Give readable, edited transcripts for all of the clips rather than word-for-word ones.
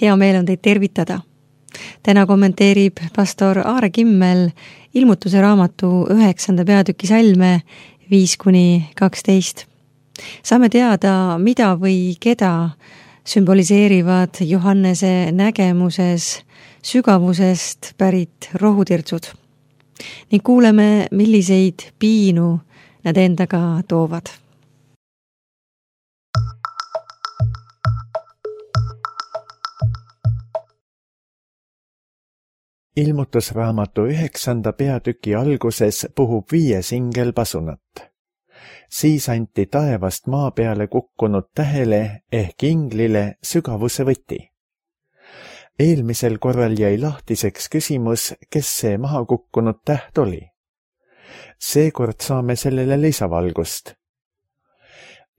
Hea meel on teid tervitada. Täna kommenteerib pastor Aare Kimmel Ilmutuse raamatu 9. peatüki salme 5-12. Saame teada, mida või keda sümboliseerivad Johannese nägemuses sügavusest pärit rohutirtsud ning kuuleme, milliseid piinu nad endaga toovad. Ilmutusraamatu 9. peatüki alguses puhub 5 ingel pasunat. Siis anti taevast maa peale kukkunud tähele ehk inglile sügavuse võti. Eelmisel korral jäi lahtiseks küsimus, kes see maha kukkunud täht oli. Seekord saame sellele lisavalgust.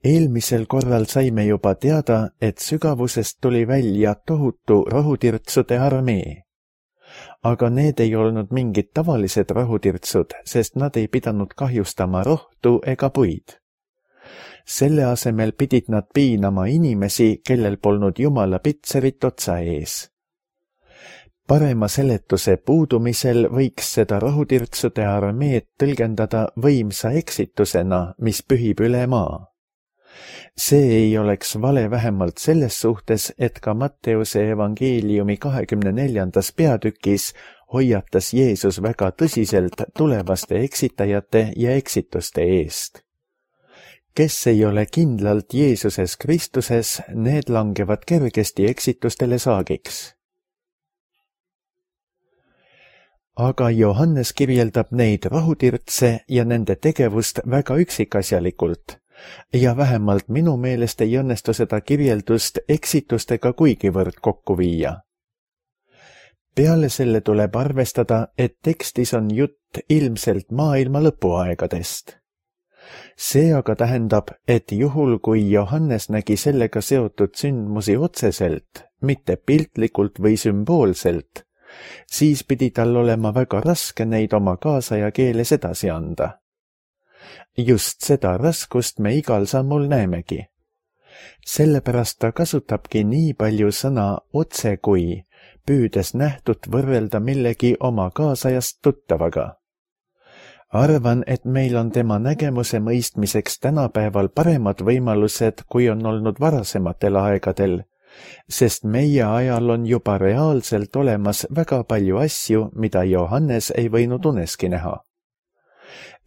Eelmisel korral saime juba teada, et sügavusest tuli välja tohutu rohutirtsude armee. Aga need ei olnud mingid tavalised rohutirtsud, sest nad ei pidanud kahjustama rohtu ega puid. Selle asemel pidid nad piinama inimesi, kellel polnud Jumala pitserit otsa ees. Parema seletuse puudumisel võiks seda rohutirtsude armeed tõlgendada võimsa eksitusena, mis pühib üle maa. See ei oleks vale vähemalt selles suhtes, et ka Matteuse evangeeliumi 24. peatükis hoiatas Jeesus väga tõsiselt tulevaste eksitajate ja eksituste eest. Kes ei ole kindlalt Jeesuses Kristuses, need langevad kergesti eksitustele saagiks. Aga Johannes kirjeldab neid rohutirtse ja nende tegevust väga üksikasjalikult. Ja vähemalt minu meelest ei õnnestu seda kirjeldust eksitustega kuigivõrd kokku viia. Peale selle tuleb arvestada, et tekstis on jutt ilmselt maailma lõpuaegadest. See aga tähendab, et juhul kui Johannes nägi sellega seotud sündmusi otseselt, mitte piltlikult või sümboolselt, siis pidi tal olema väga raske neid oma kaasaja keeles edasi anda. Just seda raskust me igal sammul näemegi. Sellepärast ta kasutabki nii palju sõna otse kui, püüdes nähtut võrrelda millegi oma kaasajast tuttavaga. Arvan, et meil on tema nägemuse mõistmiseks tänapäeval paremad võimalused, kui on olnud varasematel aegadel, sest meie ajal on juba reaalselt olemas väga palju asju, mida Johannes ei võinud uneski näha.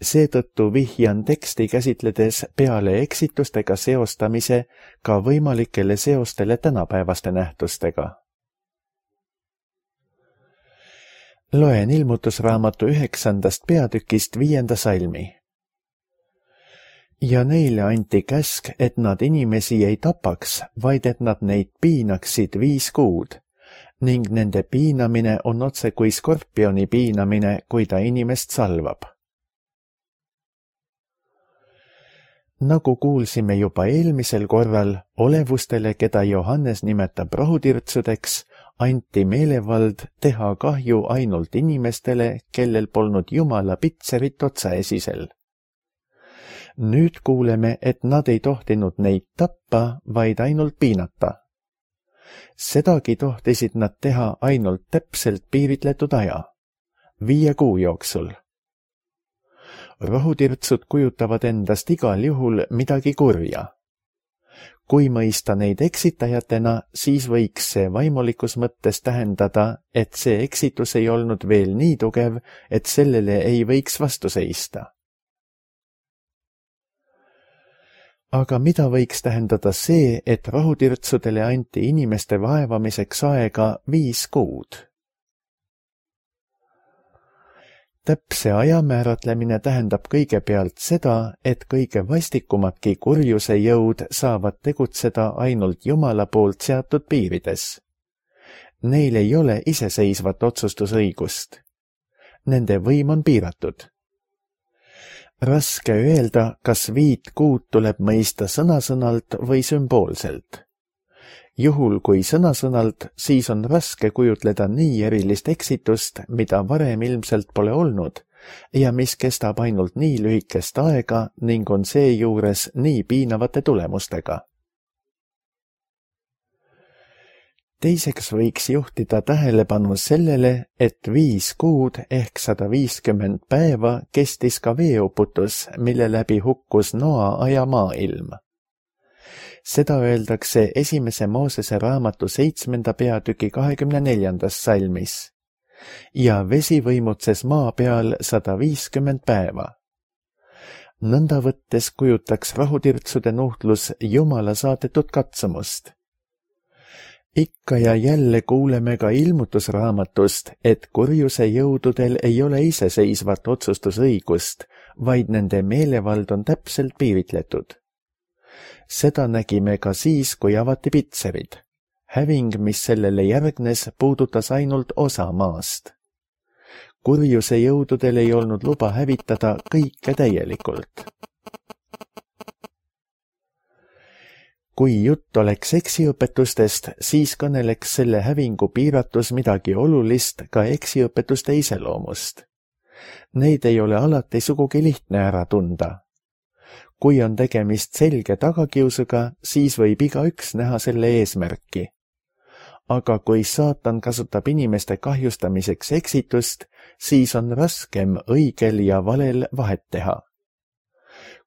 Seetõttu vihjan teksti käsitledes peale eksitustega seostamise ka võimalikele seostele tänapäevaste nähtustega. Loen Ilmutusraamatu 9. peatükist 5. salmi. Ja neile anti käsk, et nad inimesi ei tapaks, vaid et nad neid piinaksid 5 kuud, ning nende piinamine on otse kui skorpioni piinamine, kui ta inimest salvab. Nagu kuulsime juba eelmisel korral, olevustele, keda Johannes nimetab rohutirtsudeks, anti meelevald teha kahju ainult inimestele, kellel polnud Jumala pitserit otsaesisel. Nüüd kuuleme, et nad ei tohtinud neid tappa, vaid ainult piinata. Sedagi tohtisid nad teha ainult täpselt piiritletud aja, 5 kuu jooksul. Rohutirtsud kujutavad endast igal juhul midagi kurja. Kui mõista neid eksitajatena, siis võiks see vaimulikus mõttes tähendada, et see eksitus ei olnud veel nii tugev, et sellele ei võiks vastu seista. Aga mida võiks tähendada see, et rohutirtsudele anti inimeste vaevamiseks aega 5 kuud? Täpse aja määratlemine tähendab kõigepealt seda, et kõige vastikumadki kurjuse jõud saavad tegutseda ainult Jumala poolt seatud piirides. Neil ei ole iseseisvat otsustusõigust. Nende võim on piiratud. Raske öelda, kas 5 kuud tuleb mõista sõna-sõnalt või sümboolselt. Juhul kui sõna-sõnalt, siis on raske kujutleda nii erilist eksitust, mida varem ilmselt pole olnud ja mis kestab ainult nii lühikest aega ning on seejuures nii piinavate tulemustega. Teiseks võiks juhtida tähelepanu sellele, et 5 kuud ehk 150 päeva kestis ka veeuputus, mille läbi hukkus Noa aja maailm. Seda öeldakse 1. Moosese raamatu 7. peatüki 24. salmis. Ja vesi võimutses maa peal 150 päeva. Nõnda võttes kujutaks rahutirtsude nuhtlus Jumala saadetud katsumust. Ikka ja jälle kuuleme ka ilmutusraamatust, et kurjuse jõududel ei ole iseseisvat otsustusõigust, vaid nende meelevald on täpselt piiritletud. Seda nägime ka siis, kui avati Pitserid. Häving, mis sellele järgnes, puudutas ainult osa maast. Kurjuse jõududel ei olnud luba hävitada kõike täielikult. Kui jutt oleks eksiõpetustest, siis kõneleks selle hävingu piiratus midagi olulist ka eksiõpetuste iseloomust. Neid ei ole alati sugugi lihtne ära tunda. Kui on tegemist selge tagakiusuga, siis võib igaüks näha selle eesmärki. Aga kui saatan kasutab inimeste kahjustamiseks eksitust, siis on raskem õigel ja valel vahet teha.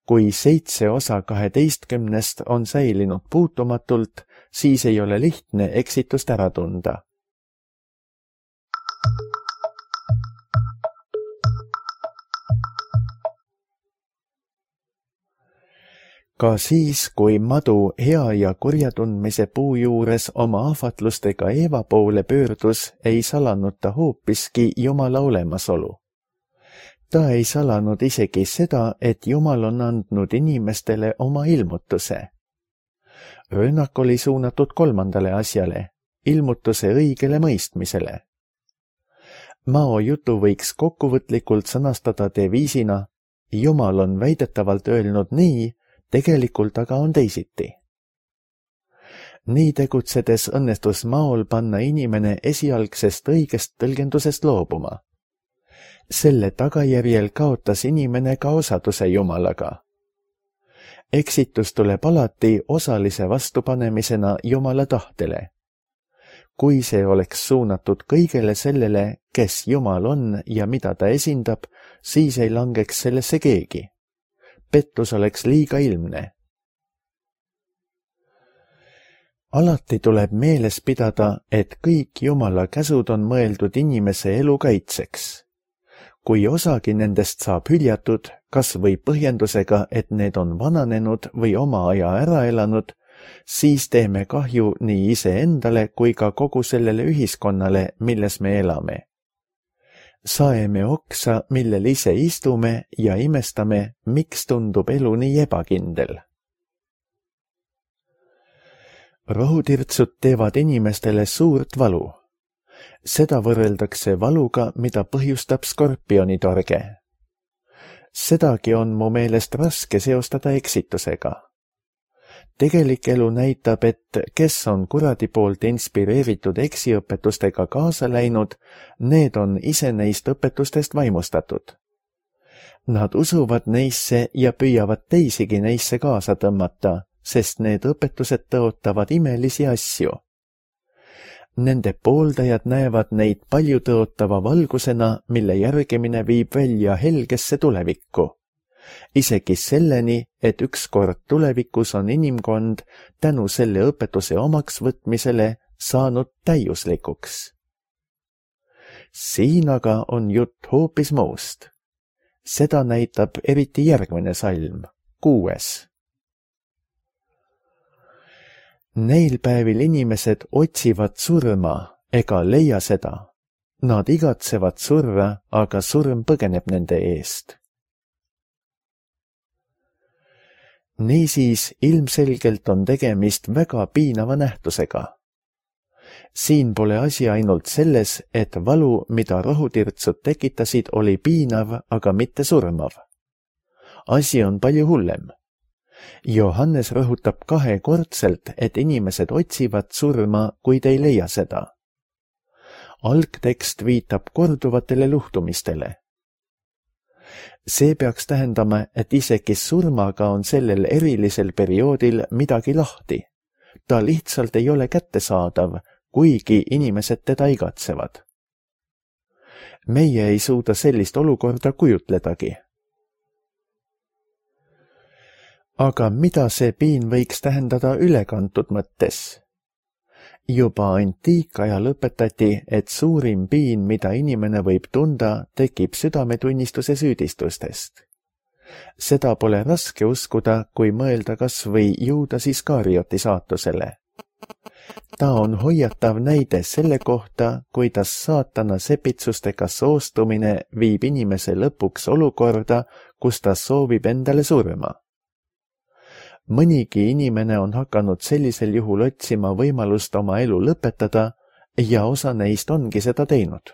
Kui 7 osa 12 on säilinud puutumatult, siis ei ole lihtne eksitust ära tunda. Ka siis, kui madu hea ja kurja tundmise puu juures oma ahvatlustega Eeva poole pöördus, ei salanud ta hoopiski Jumala olemasolu. Ta ei salanud isegi seda, et Jumal on andnud inimestele oma ilmutuse. Rünnak oli suunatud 3. asjale, ilmutuse õigele mõistmisele. Mao jutu võiks kokkuvõtlikult sõnastada deviisina: Jumal on väidetavalt öelnud nii, tegelikult aga on teisiti. Nii tegutsedes õnnestus Maol panna inimene esialgsest õigest tõlgendusest loobuma. Selle tagajärjel kaotas inimene ka osaduse Jumalaga. Eksitus tuleb alati osalise vastupanemisena Jumala tahtele. Kui see oleks suunatud kõigele sellele, kes Jumal on ja mida ta esindab, siis ei langeks sellesse keegi. Pettus oleks liiga ilmne. Alati tuleb meeles pidada, et kõik Jumala käsud on mõeldud inimese elu kaitseks. Kui osagi nendest saab hüljatud, kas või põhjendusega, et need on vananenud või oma aja ära elanud, siis teeme kahju nii iseendale kui ka kogu sellele ühiskonnale, milles me elame. Saeme oksa, millel ise istume ja imestame, miks tundub elu nii ebakindel. Rohutirtsud teevad inimestele suurt valu. Seda võrreldakse valuga, mida põhjustab skorpionitorge. Sedagi on mu meelest raske seostada eksitusega. Tegelik elu näitab, et kes on kuradi poolt inspireeritud eksiõpetustega kaasa läinud, need on ise neist õpetustest vaimustatud. Nad usuvad neisse ja püüavad teisigi neisse kaasa tõmmata, sest need õpetused tõotavad imelisi asju. Nende pooldajad näevad neid palju tõotava valgusena, mille järgimine viib välja helgesse tulevikku. Isegi selleni, et ükskord tulevikus on inimkond tänu selle õpetuse omaks võtmisele saanud täiuslikuks. Siin aga on jutt hoopis muust. Seda näitab eriti järgmine salm, 6. Neil päevil inimesed otsivad surma ega leia seda. Nad igatsevad surra, aga surm põgeneb nende eest. Niisiis ilmselgelt on tegemist väga piinava nähtusega. Siin pole asi ainult selles, et valu, mida rohutirtsud tekitasid, oli piinav, aga mitte surmav. Asi on palju hullem. Johannes rõhutab 2-kordselt, et inimesed otsivad surma, kuid ei leia seda. Algtekst viitab korduvatele luhtumistele. See peaks tähendama, et isegi surmaga on sellel erilisel perioodil midagi lahti. Ta lihtsalt ei ole kättesaadav, kuigi inimesed teda igatsevad. Meie ei suuda sellist olukorda kujutledagi. Aga mida see piin võiks tähendada ülekantud mõttes? Juba antiikajal õpetati, et suurim piin, mida inimene võib tunda, tekib südametunnistuse süüdistustest. Seda pole raske uskuda, kui mõelda kas või Juudas Iskarioti saatusele. Ta on hoiatav näide selle kohta, kuidas saatana sepitsustega soostumine viib inimese lõpuks olukorda, kus ta soovib endale surma. Mõnigi inimene on hakanud sellisel juhul otsima võimalust oma elu lõpetada ja osa neist ongi seda teinud.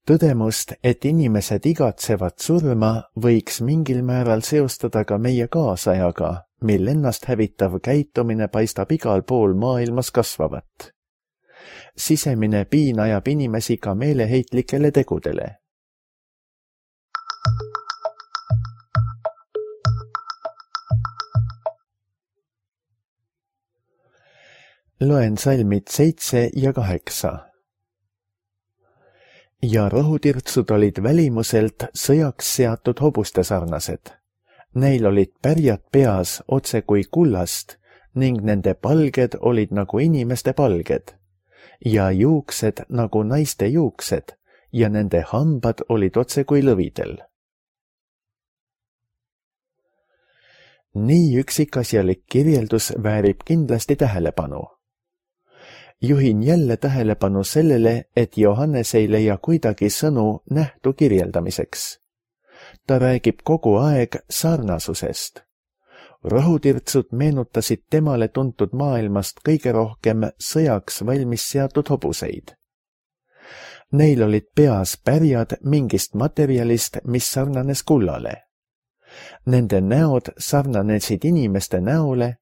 Tõdemust, et inimesed igatsevad surma, võiks mingil määral seostada ka meie kaasajaga, mil ennast hävitav käitumine paistab igal pool maailmas kasvavat. Sisemine piin ajab inimesi ka meeleheitlikele tegudele. Loen salmid 7 ja 8. Ja rohutirtsud olid välimuselt sõjaks seatud hobuste sarnased. Neil olid pärjad peas otse kui kullast ning nende palged olid nagu inimeste palged ja juuksed nagu naiste juuksed ja nende hambad olid otse kui lõvidel. Nii üksikasjalik kirjeldus väärib kindlasti tähelepanu. Juhin jälle tähelepanu sellele, et Johannes ei leia kuidagi sõnu nähtu kirjeldamiseks. Ta räägib kogu aeg sarnasusest. Rohutirtsud meenutasid temale tuntud maailmast kõige rohkem sõjaks valmis seatud hobuseid. Neil olid peas pärjad mingist materjalist, mis sarnanes kullale. Nende näod sarnanesid inimeste näole,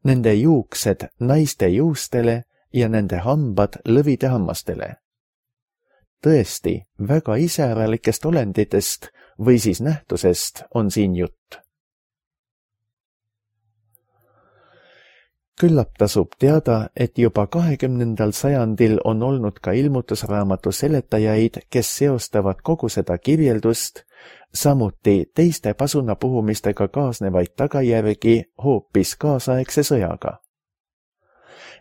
nende juuksed naiste juustele ja nende hambad lõvide hammastele. Tõesti, väga iseäralikest olenditest või siis nähtusest on siin jutt. Küllap tasub teada, et juba 20. sajandil on olnud ka ilmutusraamatu seletajaid, kes seostavad kogu seda kirjeldust, samuti teiste pasunapuhumistega kaasnevaid tagajärgi hoopis kaasaegse sõjaga.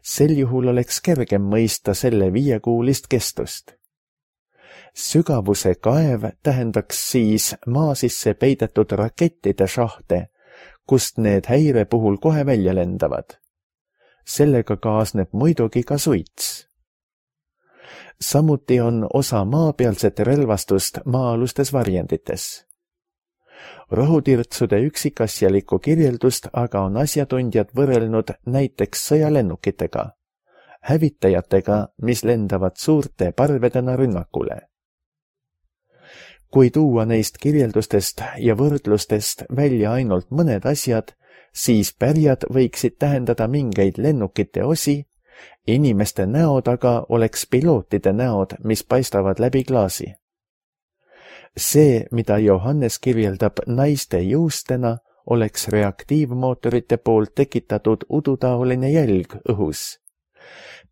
Sel juhul oleks kergem mõista selle 5-kuulist kestust. Sügavuse kaev tähendaks siis maa sisse peidetud rakettide šahte, kust need häire puhul kohe välja lendavad. Sellega kaasneb muidugi ka suits. Samuti on osa maapealset relvastust maa-alustes varjendites. Rohutirtsude üksikasjalikku kirjeldust aga on asjatundjad võrrelnud näiteks sõjalennukitega, hävitajatega, mis lendavad suurte parvedena rünnakule. Kui tuua neist kirjeldustest ja võrdlustest välja ainult mõned asjad, siis pärjad võiksid tähendada mingeid lennukite osi, inimeste näod aga oleks pilootide näod, mis paistavad läbi klaasi. See, mida Johannes kirjeldab naiste juustena, oleks reaktiivmootorite poolt tekitatud udutaoline jälg õhus.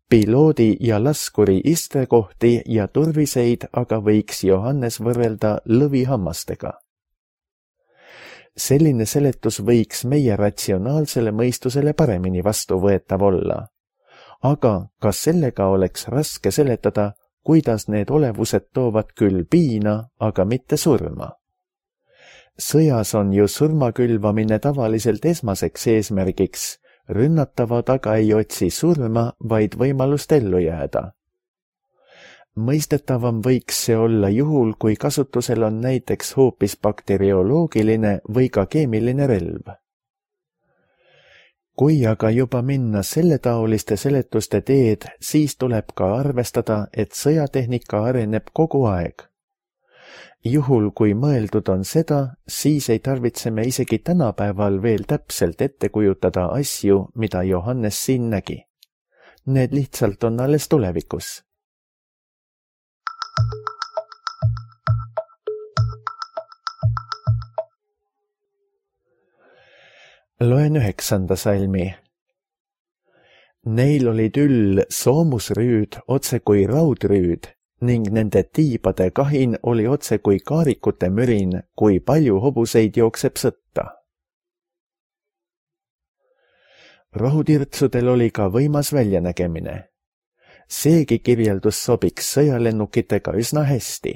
Piloodi ja laskuri istekohti ja turviseid aga võiks Johannes võrrelda lõvihammastega. Selline seletus võiks meie ratsionaalsele mõistusele paremini vastuvõetav olla. Aga kas sellega oleks raske seletada, kuidas need olevused toovad küll piina, aga mitte surma? Sõjas on ju surmakülvamine tavaliselt esmaseks eesmärgiks, rünnatavad aga ei otsi surma, vaid võimalust ellu jääda. Mõistetavam võiks see olla juhul, kui kasutusel on näiteks hoopis bakterioloogiline või ka keemiline relv. Kui aga juba minna selletaoliste seletuste teed, siis tuleb ka arvestada, et sõjatehnika areneb kogu aeg. Juhul, kui mõeldud on seda, siis ei tarvitse me isegi tänapäeval veel täpselt ette kujutada asju, mida Johannes siin nägi. Need lihtsalt on alles tulevikus. Loen 9. salmi. Neil olid üll soomusrüüd otse kui raudrüüd ning nende tiibade kahin oli otse kui kaarikute mürin, kui palju hobuseid jookseb sõtta. Rohutirtsudel oli ka võimas väljanägemine. Seegi kirjeldus sobiks sõjalennukitega üsna hästi.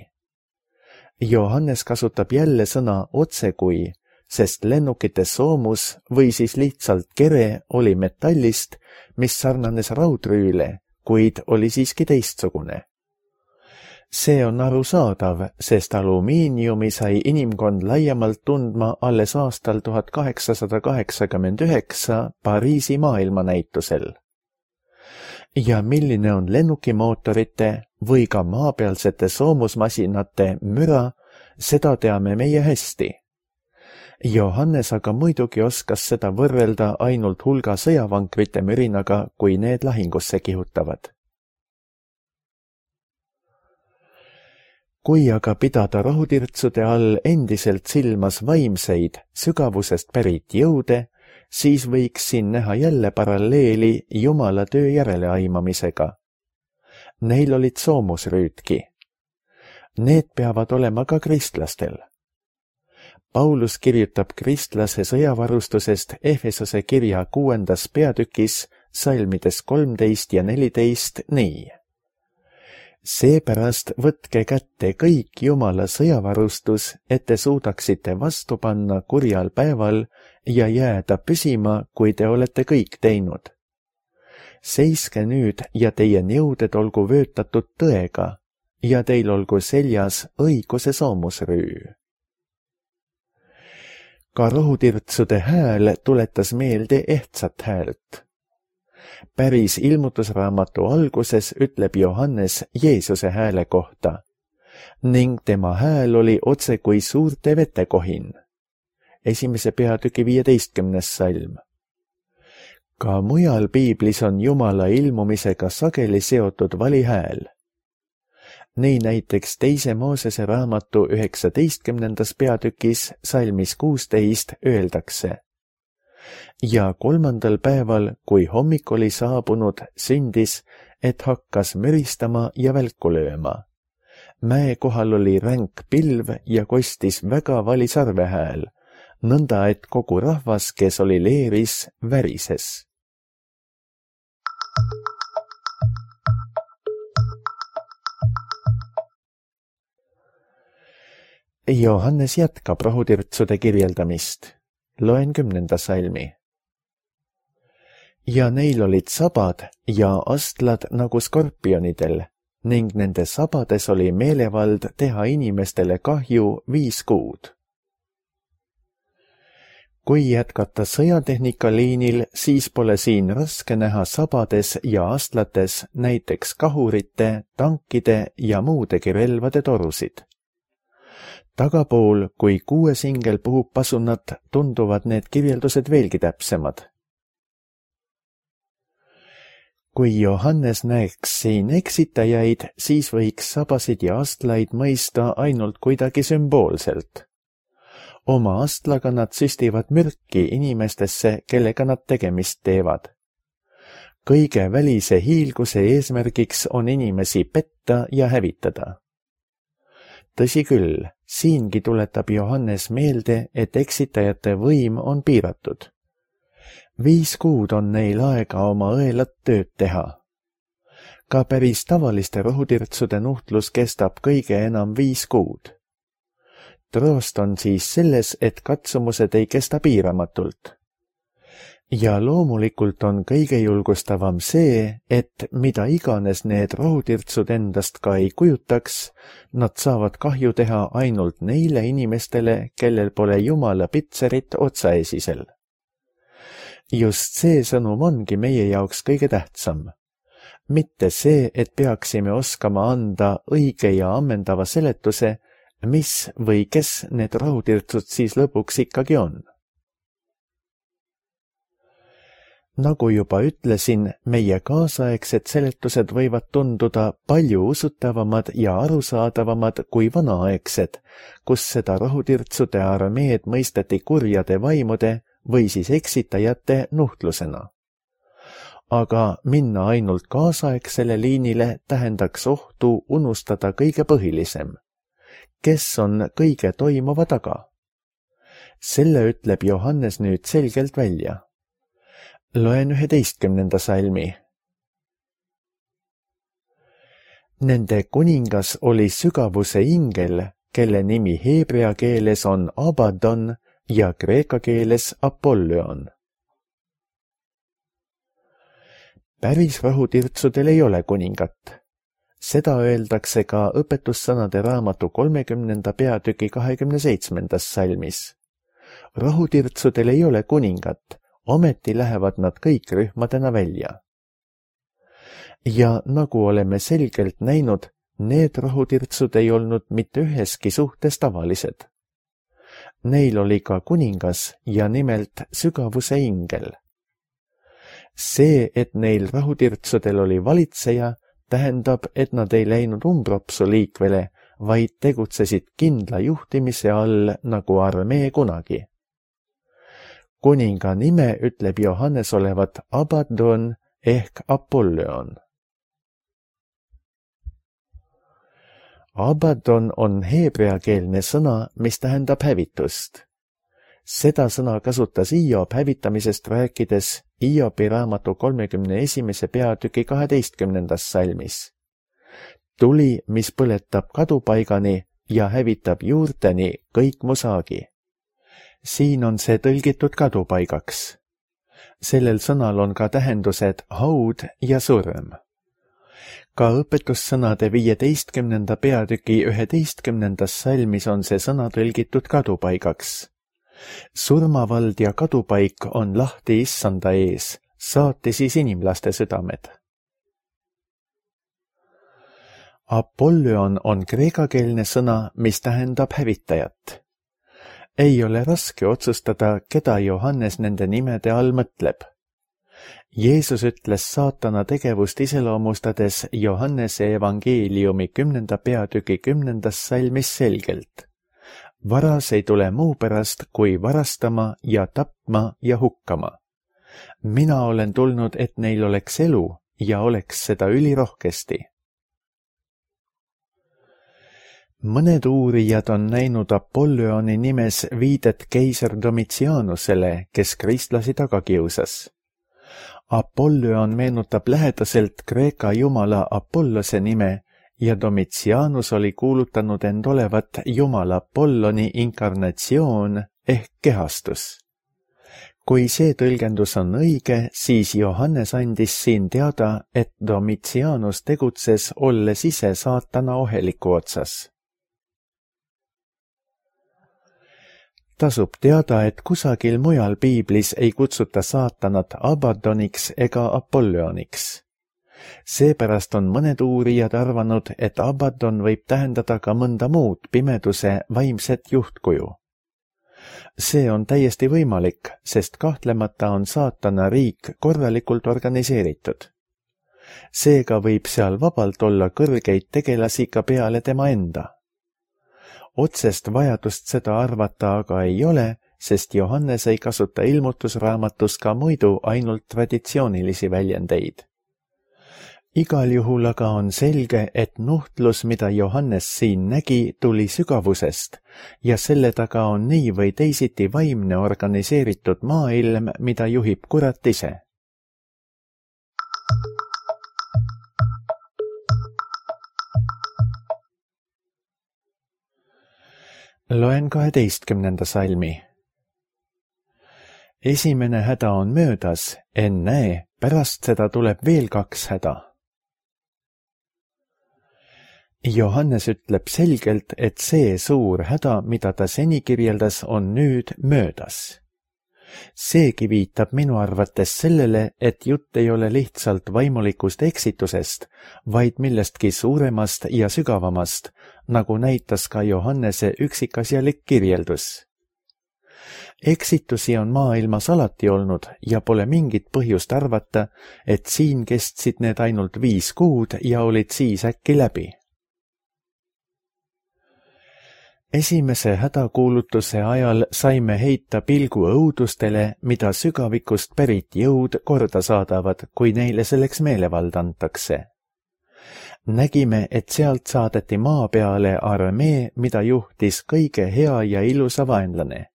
Johannes kasutab jälle sõna otsekui, sest lennukite soomus või siis lihtsalt kere oli metallist, mis sarnanes raudrüüle, kuid oli siiski teistsugune. See on arusaadav, sest alumiiniumi sai inimkond laiemalt tundma alles aastal 1889 Pariisi maailmanäitusel. Ja milline on lennukimootorite või ka maapealsete soomusmasinate müra, seda teame meie hästi. Johannes aga muidugi oskas seda võrrelda ainult hulga sõjavankrite mürinaga, kui need lahingusse kihutavad. Kui aga pidada rohutirtsude all endiselt silmas vaimseid, sügavusest pärit jõude, siis võiks siin näha jälle paralleeli Jumala töö järeleaimamisega. Neil olid soomusrüüdki. Need peavad olema ka kristlastel. Paulus kirjutab kristlase sõjavarustusest Efesose kirja 6. peatükis salmides 13 ja 14 nii. Seepärast võtke kätte kõik Jumala sõjavarustus, et te suudaksite vastu panna kurjal päeval ja jääda püsima, kui te olete kõik teinud. Seiske nüüd ja teie nõuded olgu vöötatud tõega ja teil olgu seljas õiguse soomusrüü. Ka rohutirtsude hääl tuletas meelde ehtsat häält. Päris ilmutusraamatu alguses ütleb Johannes Jeesuse hääle kohta ning tema hääl oli otse kui suurte vetekohin. 1. peatüki 15. salm. Ka mujal piiblis on Jumala ilmumisega sageli seotud valihääl. Nii näiteks 2. Moosese raamatu 19. peatükis salmis 16 öeldakse. Ja 3. päeval, kui hommik oli saabunud, sündis, et hakkas müristama ja välku lööma. Mäe kohal oli ränk pilv ja kostis väga vali sarvehääl, nõnda et kogu rahvas, kes oli leeris, värises. Johannes jätkab rohutirtsude kirjeldamist. Loen 10. salmi. Ja neil olid sabad ja astlad nagu skorpionidel ning nende sabades oli meelevald teha inimestele kahju 5 kuud. Kui jätkata sõjatehnika liinil, siis pole siin raske näha sabades ja astlates näiteks kahurite, tankide ja muudegi relvade torusid. Tagapool, kui 6 singel puhub pasunat, tunduvad need kirjeldused veelgi täpsemad. Kui Johannes näeks siin eksitajaid, siis võiks sabasid ja astlaid mõista ainult kuidagi sümboolselt. Oma astlaga nad süstivad mürki inimestesse, kellega nad tegemist teevad. Kõige välise hiilguse eesmärgiks on inimesi petta ja hävitada. Tõsi küll, siingi tuletab Johannes meelde, et eksitajate võim on piiratud. 5 kuud on neil aega oma õelat tööd teha. Ka päris tavaliste rohutirtsude nuhtlus kestab kõige enam 5 kuud. Troost on siis selles, et katsumused ei kesta piiramatult. Ja loomulikult on kõige julgustavam see, et mida iganes need rohutirtsud endast ka ei kujutaks, nad saavad kahju teha ainult neile inimestele, kellel pole Jumala pitserit otsaesisel. Just see sõnum ongi meie jaoks kõige tähtsam. Mitte see, et peaksime oskama anda õige ja ammendava seletuse, mis või kes need rohutirtsud siis lõpuks ikkagi on. Nagu juba ütlesin, meie kaasaegsed seletused võivad tunduda palju usutavamad ja arusaadavamad kui vanaaegsed, kus seda rohutirtsude armeed mõisteti kurjade vaimude või siis eksitajate nuhtlusena. aga minna ainult kaasaegsele liinile tähendaks ohtu unustada kõige põhilisem. Kes on kõige toimuva taga? Selle ütleb Johannes nüüd selgelt välja. Loen 11. salmi. Nende kuningas oli sügavuse ingel, kelle nimi heebrea keeles on Abaddon ja kreeka keeles Apollyon. Päris rahutirtsudel ei ole kuningat. Seda öeldakse ka õpetussõnade raamatu 30. peatüki 27. salmis. Rahutirtsudel ei ole kuningat, ometi lähevad nad kõik rühmadena välja. Ja nagu oleme selgelt näinud, need rahutirtsud ei olnud mitte üheski suhtes tavalised. Neil oli ka kuningas ja nimelt sügavuse ingel. See, et neil rahutirtsudel oli valitseja, tähendab, et nad ei läinud umbropsu liikvele, vaid tegutsesid kindla juhtimise all nagu armee kunagi. Kuninga nime ütleb Johannes olevat Abaddon ehk Apollyon. Abaddon on heebreakeelne sõna, mis tähendab hävitust. Seda sõna kasutas Hiob hävitamisest rääkides Hiobi raamatu 31. peatüki 12. salmis. Tuli, mis põletab kadupaigani ja hävitab juurteni kõik mu saagi. Siin on see tõlgitud kadupaigaks. Sellel sõnal on ka tähendused haud ja surm. Ka õpetussõnade 15. peatüki 11. salmis on see sõna tõlgitud kadupaigaks. Surmavald ja kadupaik on lahti issanda ees, saati siis inimlaste südamed. Apollyon on kreekakeelne sõna, mis tähendab hävitajat. Ei ole raske otsustada, keda Johannes nende nimede all mõtleb. Jeesus ütles saatana tegevust iseloomustades Johannese evangeeliumi 10. peatüki 10. salmis selgelt. Varas ei tule muu pärast, kui varastama ja tapma ja hukkama. Mina olen tulnud, et neil oleks elu ja oleks seda ülirohkesti. Mõned uurijad on näinud Apollyoni nimes viidet keiser Domitianusele, kes kristlasi taga kiusas. Apollyon meenutab lähedaselt Kreeka jumala Apollose nime ja Domitianus oli kuulutanud end olevat jumala Apolloni inkarnatsioon ehk kehastus. Kui see tõlgendus on õige, siis Johannes andis siin teada, et Domitianus tegutses olles ise saatana oheliku otsas. Tasub teada, et kusagil mujal piiblis ei kutsuta saatanat Abaddoniks ega Apollyoniks. Seepärast on mõned uurijad arvanud, et Abaddon võib tähendada ka mõnda muud pimeduse vaimset juhtkuju. See on täiesti võimalik, sest kahtlemata on saatana riik korralikult organiseeritud. Seega võib seal vabalt olla kõrgeid tegelasi ka peale tema enda. Otsest vajadust seda arvata aga ei ole, sest Johannes ei kasuta ilmutusraamatus ka muidu ainult traditsioonilisi väljendeid. Igal juhul aga on selge, et nuhtlus, mida Johannes siin nägi, tuli sügavusest ja selle taga on nii või teisiti vaimne organiseeritud maailm, mida juhib kurat ise. Loen 12. salmi. Esimene häda on möödas, ennäe, pärast seda tuleb veel 2 häda. Johannes ütleb selgelt, et see suur häda, mida ta seni kirjeldas, on nüüd möödas. Seegi viitab minu arvates sellele, et jutt ei ole lihtsalt vaimulikust eksitusest, vaid millestki suuremast ja sügavamast, nagu näitas ka Johannese üksikasjalik kirjeldus. Eksitusi on maailmas alati olnud ja pole mingit põhjust arvata, et siin kestsid need ainult 5 kuud ja olid siis äkki läbi. Esimese hädakuulutuse ajal saime heita pilgu õudustele, mida sügavikust pärit jõud korda saadavad, kui neile selleks meelevald antakse. Nägime, et sealt saadeti maa peale armee, mida juhtis kõige hea ja ilusa vaenlane.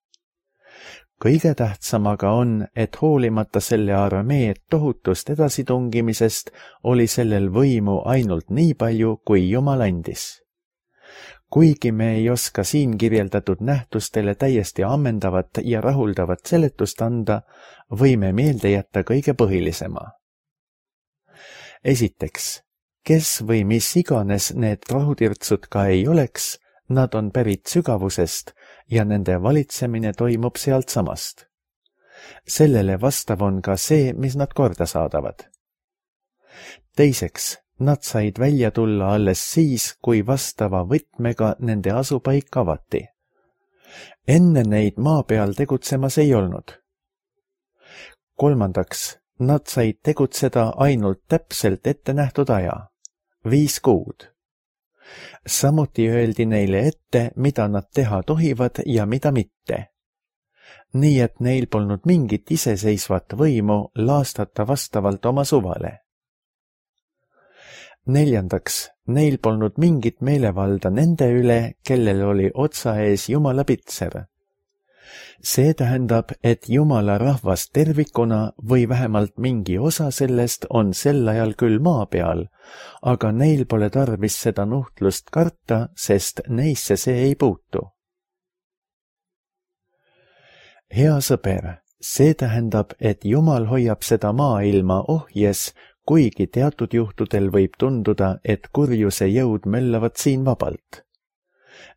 Kõige tähtsam aga on, et hoolimata selle armee tohutust edasitungimisest oli sellel võimu ainult nii palju, kui Jumal andis. Kuigi me ei oska siin kirjeldatud nähtustele täiesti ammendavat ja rahuldavat seletust anda, võime meelde jätta kõige põhilisema. Esiteks, kes või mis iganes need rahutirtsud ka ei oleks, nad on pärit sügavusest ja nende valitsemine toimub sealt samast. Sellele vastav on ka see, mis nad korda saadavad. Teiseks, nad said välja tulla alles siis, kui vastava võtmega nende asupaik avati. Enne neid maa peal tegutsemas ei olnud. Kolmandaks, nad said tegutseda ainult täpselt ette nähtud aja, 5 kuud. Samuti öeldi neile ette, mida nad teha tohivad ja mida mitte. Nii et neil polnud mingit iseseisvat võimu laastata vastavalt oma suvale. Neljandaks, neil polnud mingit meelevalda nende üle, kellel oli otsa ees Jumala pitser. See tähendab, et Jumala rahvas tervikuna või vähemalt mingi osa sellest on sel ajal küll maa peal, aga neil pole tarvis seda nuhtlust karta, sest neisse see ei puutu. Hea sõber, see tähendab, et Jumal hoiab seda maailma ohjes, kuigi teatud juhtudel võib tunduda, et kurjuse jõud möllavad siin vabalt.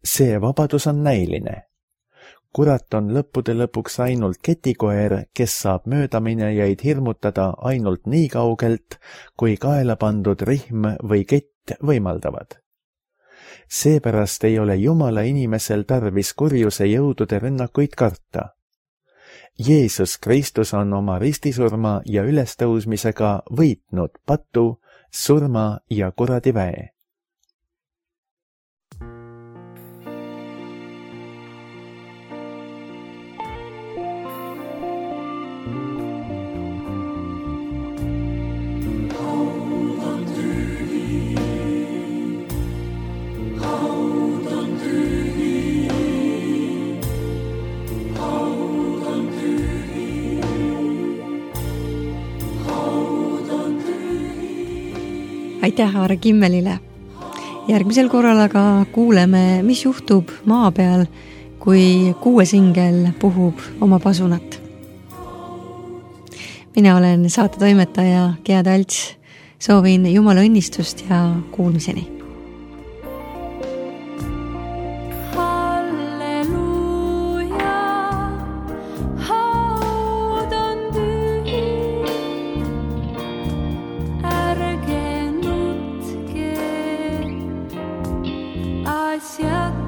See vabadus on näiline. Kurat on lõppude lõpuks ainult ketikoer, kes saab möödaminejaid hirmutada ainult nii kaugelt, kui kaela pandud rihm või kett võimaldavad. Seepärast ei ole Jumala inimesel tarvis kurjuse jõudude rünnakuid karta. Jeesus Kristus on oma ristisurma ja ülestõusmisega võitnud patu, surma ja kuradi väe. Aitäh Aare Kimmelile. Järgmisel korral aga kuuleme, mis juhtub maa peal, kui kuuesingel puhub oma pasunat. Mina olen saatetoimetaja Gea Talts. Soovin Jumala õnnistust ja kuulmiseni. Asja